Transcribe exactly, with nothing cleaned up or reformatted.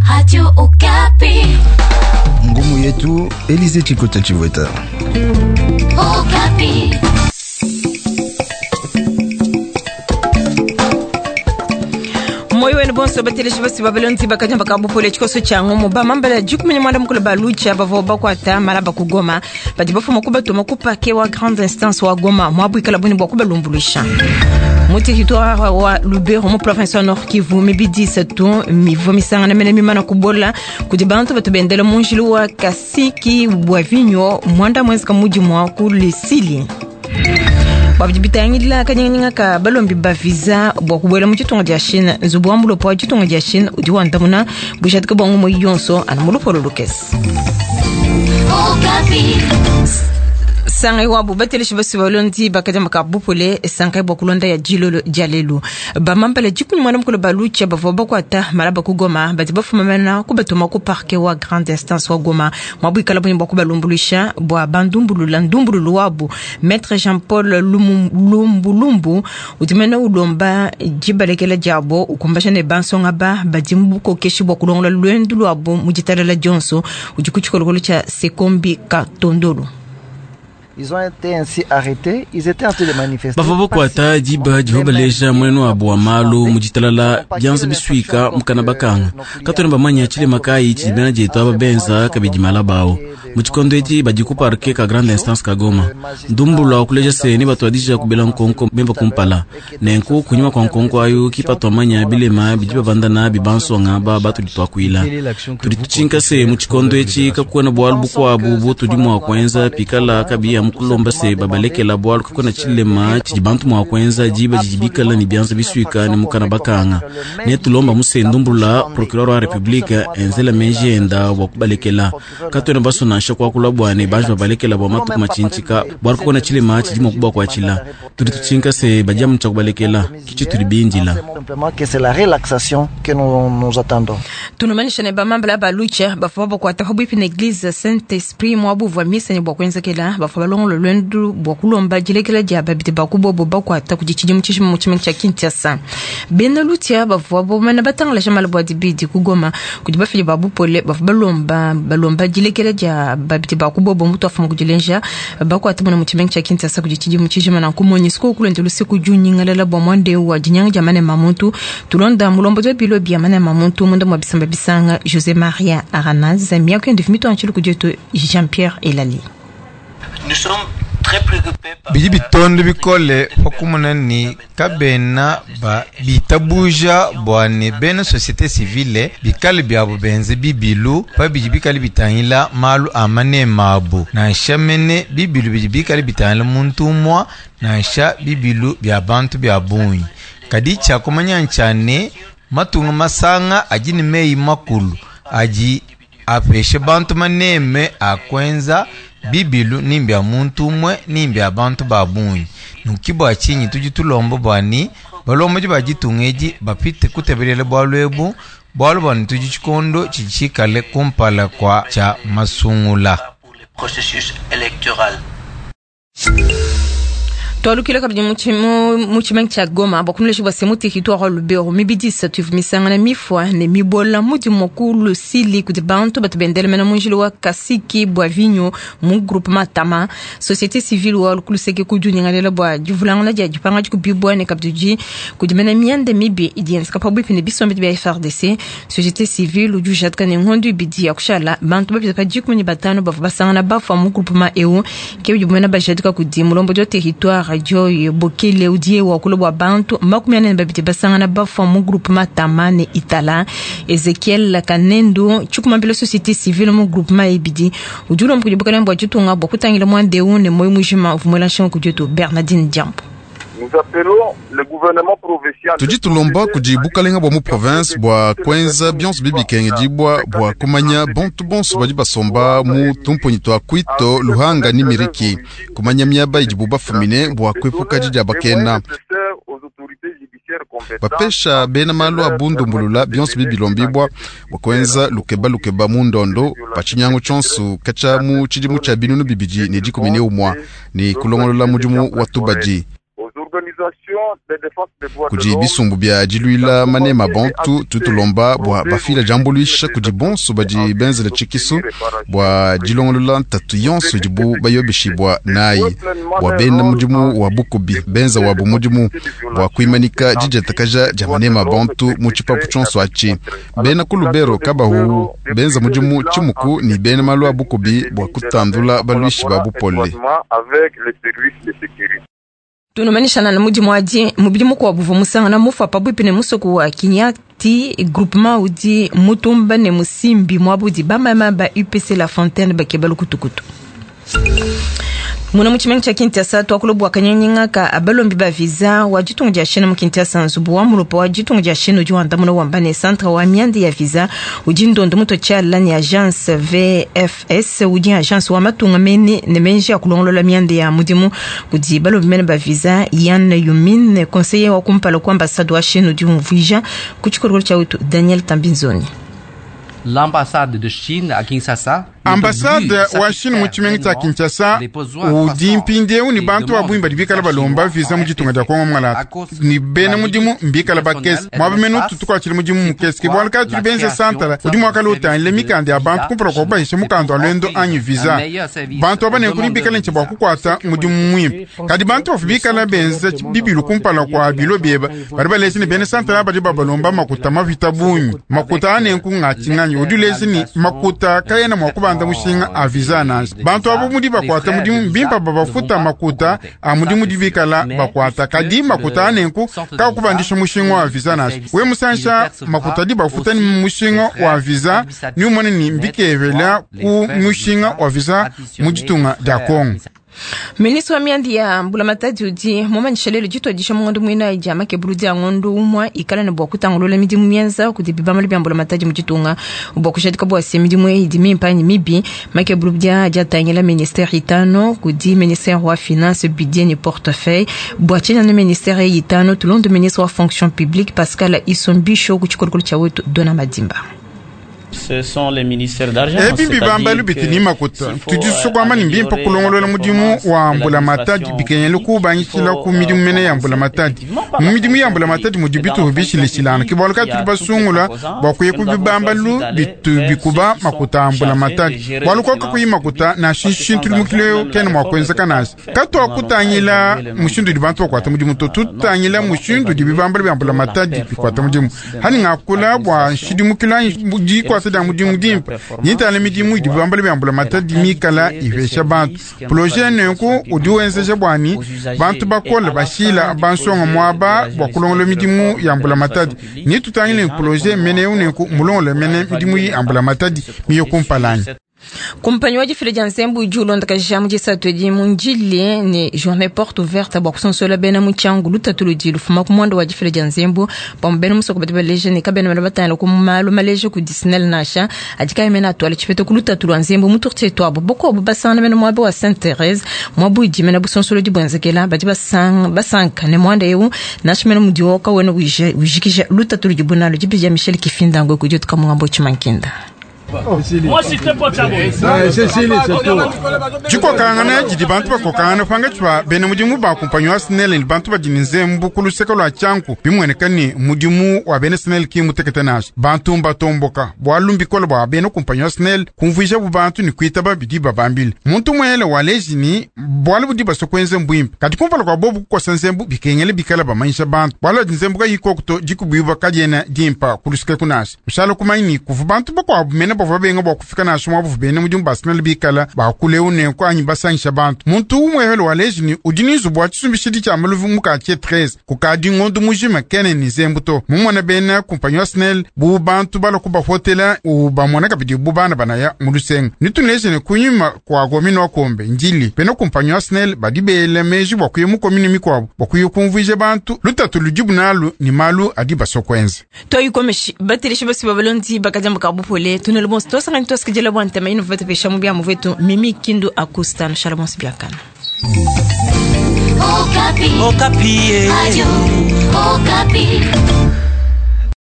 Radio Okapi. Ngumu yetu Elize Chikota Chivweta. Okapi. Moyo wenu bonso bateleshi basi babalonzi bakanya bakabupole tshikoso tshia ngomo bamambala dikumenya mwanda mukulu balucha bavua bakwata malaba kugoma badi bafuma kubatuma kupake wa grande instance wa Goma mwabwikala buni bwa kubalumbuluisha mu territoire wa Lubero mu province wa Nord Kivu mibidi isatu mivo misangana mene mimana kubola kudi bantu batu bendela mu njilu wa Kasiki bwa vinyo mwanda mwenzika mudi mwa kulesili bwabidi bitangila kanyinganyinga ka balombi ba visa bwa kubwela mu tshitunga dia Chine nzubu wa mulopo wa tshitunga dia Chine udi wandamuna bushatika bwa ngumu yonso ana mulopolo lukesi Okapi. Sangai wabu bateleshi basi balondi bakadi makabupole sangai bwa kulonda ya jilolo dia lelu bamambala dikumi mwana mukulu balucha bavua bakwata malaba kugoma badi bafumamana kubatuma ku parke wa grande instance wa Goma mwabwikala buni bwa kubalumbuluisha bwa bandumbulula ndumbululu wabu maître Jean Paul Lumbulumbu udimene ulomba dibalekela diabo ukumbasha ne bansonga ba badi mu bukokeshi bwa kulongola lwendu lwabo mu ditalala dionso udi ku tshikolokolo tshia Sekombi Katondolo. Ils ont été ainsi arrêtés, ils étaient en train de manifester. Bavua bakwata diba divua baleja muenenu wabu wa malu mu ditalala bianza bisuika mukana bakanga katwena bamanya tshilema kayi tshidi bena dietu aba benza kabidi mala bawo mu tshikondo edi badi ku parke ka grande instance ka Goma ndumbulwa kuleja se ne batuadija kubela nkonko bemba kumpala nenku kunyima kwa nkonko ayo kipatwamanya bilema bidi babandana bibansonga ba batudi twakuila tudi tutshinka se mu tshikondo etshi kakuena bualu bukuabu butudi mua kuenza pikala kabiya mukulomba se babalekela bualu kakuena tshilema tshidi bantu mua kuenza diba didi bikala ne bianza bisuika ne mukana bakanga ne tulomba muse ndumbulula procureur wa republique enzela meji enda bua kubalekela katuena baso nansha kuakula bua ne banji babalekela bua matuku matshintshika bualu kakuena tshilema tshidi mua kubakuatshila tudi tutshinka se badiamu tshia kubalekela kitshi tudi bindila. Simplement que c'est la relaxation que nous, nous attendons. Tunumanisha ne bamambala balucha bafua bakwata pabuipi na eglise Saint Esprit mwabuvua misa ne bua kuenzekela bafua balongola lwendu bua kulomba dilekela dia babidi bakubobo bakwata kudi tshidimu tshishima mu tshimenga tshia Kinshasa bena lutia bavua bomana batangalasha mala bua dibidi kugoma kudi bafidi ba bupole bavua balomba balomba dilekela dia babidi bakubobo mutu afuma kudilenja bakwata muna mu tshimenga tshia Kinshasa kudi tshidimu tshishima na kumonyi siko kulende lusiku junyingalala bua mwande wa dinyanga dia manema muntu tulonda mulombo wa bilo bia manema muntu munda mwa bisamba bisanga José Maria Arana Zamia kwende fimito anchilu kudietu Jean-Pierre Elali. Nous sommes très préoccupés par bidi bitondo bikole pakumuna ni kabena ba bitabuja bua ne bena société civile bikale biabu benze bibilu pa bidi bikale bitangila malu a manema abu nansha mene bibilu bidi bikale bitangila muntu umua nansha bibilu bia bantu bia bungi kadi tshia kumanya ntshia ne matunga masanga adi ne meyi makulu adi apeshe bantu maneme a kuenza bibilu ni mbya muntu umue ni mbya bantu ba bungi nuki bua tshinyi tudi tulomba bua ni balombodi ba ditunga edi bapite kutebelela bualu ebu bualu bua ne tudi tshikondo tshidi tshikale kumpala kua tshia masungula. Pour le processus électoral. Twalukile kabidi mu tshimenga tshia Goma bua kumulesha bua se mu territoire wa Lubero mibidi isatu ivua misangana mifua ne mibola mudi mua kulusili kudi bantu batu bendela mena mu njila wa Kasiki bua vinyo mu groupement Tama société civile wa lukuluseke kudiunyingalela bua divulangana dia dipanga dikubibua ne kabidi kudi mena mianda mibi idi yenzeka pabuipi ne bisombi bia F R D C société civile udi ujatika ne ngondu ibidi ya kushala bantu bapita pa dikumi ne batanu bavua basangana bafua mu groupement eu ke bidi bumena bajadika kudi mulombodi wa territoire radio Bokele udie wa kulo bua bantu makumi ane na babidi basangana bafua mu groupement Tama ne Itala Ezekiel Kanendo tshikumambila société civile mu groupement ebidi udi ulomba kudi bukalenge bua ditunga bua kutangila muanda eu ne moyo mujima uvua muela nshinga kudi wetu Bernardine Diambo. Nous appelons le gouvernement provincial. Tudi tulomba kudi bukalenga bua mu province bua kuenza bionso bibikenge dibua bua kumanya bantu bonso badi basomba mu tumponyi tua Kwito, Luhanga ni Miriki, kumanya miaba idibu bafumine bua kuepuka didia bakena. Bapesha bena malu a bundumbulula bionso bibilombibwa bua kuenza lukeba lukeba mu ndondo pa tshinyangu tshionso katshia mu tshidimu tshia binunu bibidi ne dikumi ne umua ne kulongolola mudimu wa tubadi. Kudi bisumbu bia diluila manema bantu tutulomba bua bafila diambuluisha kudi bonso badi benzela tshikisu bua dilongolola ntatu yonso idibu bayobeshibwa nayi bua bena mudimu wa bukubi benza wabu mudimu bua kuimanika didiatakaja dia manema bantu mu tshipapu tshionso atshi. Bena ku Lubero kabahu benza mudimu tshimuku ni bena malu a bukubi bua kutandula baluishi ba bupole. Tunumanishana na mudimu adi mubidi mukuabu uvua musangana mufa pabuipi ne musoko wa Kinyati groupement udi mutumba ne musimbi muabudi bamama ba U P C La Fontaine bakeba lukutukutu. Muna mu tshimenga tshia Kinshasa tuakula kanyanyinga ka abalombi ba visa wa ditunga dia Chine mu Kinshasa nzubu wa mulupa wa ditunga dia Chine udi wandamuna wamba ne centre wa mianda ya visa udi ndondo muto tshiala ne agence V F S udi agence wa matunga mene ne menji ya kulongolola mianda ya mudimu kudi balombi mene ba visa Yan Yumin conseiller wa kumpala kwa ambassade wa Chine udi umvuija ku tshikolokolo tshia wetu Daniel Tambinzoni. L'ambassade de Chine à Kinshasa ambassade wa Chine mu tshimenga tshia Kinshasa udi mpindieu ni bantu ba bungi badi bikala balomba visa mu ditunga dia Kongo Mwalata ni bena mudimu mbikala bakese mwaba mene ututukuatshile mudimu mukese ke bualu kadi tudi benza santala udi muakala utangile mikanda ya bantu kumpala kua kubahisha mukanda wa lwendo anyi visa. Bantu aba nenku ni bikala ntshia bua kukuata mudimu muimpe kadi bantu bafu bikala benza bibilu kumpala kua bilo bieba badi balesha ni bena santala badi babalomba makuta mavita bungi makuta anenku ng'atshing'anyi udi ulesha ni makuta kayena mua kubanda mushinga a visa nansha. Bantu abo mudi bakwata mudimu mbimpa babafuta makuta a mudimu dibikala bakwata kadi makuta anenku kakubandisha mushinga wa visa nansha. We musansha makuta di bafuta ni mushinga wa visa ni umone ni mbikevela ku mushinga wa visa mu ditunga dia Kongo. Ministre wa mianda ya mbulamatadi udi mumanyisha lelo dituadisha mungondo muina dia makebulu dia ngondo umwa ikala ne bua kutangulula midimu mienza kudi bibambalu bia mbulamatadi mu ditunga bua kushadika bua se midimu eyi idi mimpe anyi mibi. Makebulu dia diatangila ministère itano kudi ministère wa finance budget ne portefeuille bua tshiena ne ministère eyi itano tulonde ministre wa fonction publique Pascal Isombisho ku tshikolokolo tshia wetu Dona Madimba. Ce sont les ministères d'argent. Ebi bibambalu bitini makuta tudisukwama ni mbimpa kulongolola mudimu wa mbulamatadi bikenyele kubangishila ku midimu mene ya mbulamatadi mu midimu ya mbulamatadi mudi bituhu bishilishilana ke bualu kadi tudi basungula bua kuya ku bibambalu bitu bikuba makuta a mbulamatadi bualu koka kuyi makuta nansha nshintu limukileo kena mua kuenzeka nansha. Katuakutangila mushindu udi bantu bakuata mudimu to tutangila mushindu udi bibambalu bia mbulamatadi bikuata mudimu hani ngakula bua nshidimukilo anyi dikuata dia mudimu dimpa nitala midimu idi bibambalu bia mbulamatadi mikala ipesha bantu projet nenku udi wenzeja bwani bantu bakola bashila bansonga muaba bua kulongola midimu ya mbulamatadi nitutangile projet meneu nenku mulongola mene midimu ya mbulamatadi miyo kumpalanyi. Kumpanyi wa difila dia nzembu udi ulondakaja mu disatu edi mu ndile ne journée porte ouverte bua kusonsola bena mu tshiangu lutatu ludi lufuma ku muanda wa difila dia nzembu pamue bena musoko badi baleja ne kabena bana batangila ku malu maleja ku Disney nansha adi kayi mene atuala tshipeta ku lutatu lua nzembu mu turtie tuabu bokuabu basangana bena muaba wa Sainte Therese muabu idi mene busonsolodi buenzekela badi basanga basanka ne muanda eu nansha mene mudi woka wena wijikija lutatu ludi bunalo dibi dia Michel Kifindango kudi tukamungambo tshimankinda. Dikokangana didi bantu bakokangana panga tshua bena mudimu ba kumpanyi wa Snell ni bantu badi ne nzembu ku luseke lua tshianku bimueneka ni mudimu wa bena Snell ki mutekete nansha bantu mbatomboka bualu mbikole bua bena kumpanyi wa Snell kumvuija bu bantu ni kuitaba bidi babambile muntu muele waleji ni bualu budi basokuenze mbwimpe kadi kumpala kua bobu kukosa nzembu bikengele bikala bamanyisha bantu bualu adi nzembu kayikokuto dikubuibwa kadiena dimpa ku luseke kunasha ushala kumanyi ni kuvu bantu bakuabu mene bavua benga bua kufika nansha muabu bena mudimu ba Snell bikala bakuleu nenku anyi basangisha bantu muntu umwehele waleji ni udi ni nzubu wa tshisumbishidi tshia maluvu mu quartier treize kukadi ngondu mujima kene ni nzembu to mumona bena kumpanyi wa Snell bu bantu bala kubafotela ubamona kabidi bu bana banaya mu lusenga nituneje ne kunyuma kwa komini wa Kombe ndili bena kumpanyi wa Snell badi bela meji bua kuya mu komini mikuabu bua kuya kumvuija bantu lutatu ludibu nalu ni malu adi basokwenza toyikomeshi bateleshi basi babalondi bakadiamba kabupole tunelo bonso tosangani tosikidila bua ntema ino vete pesha mu bia muvetu Mimi Kindu Akusta shala bonso biakana. Okapi. Okapi. Radio Okapi.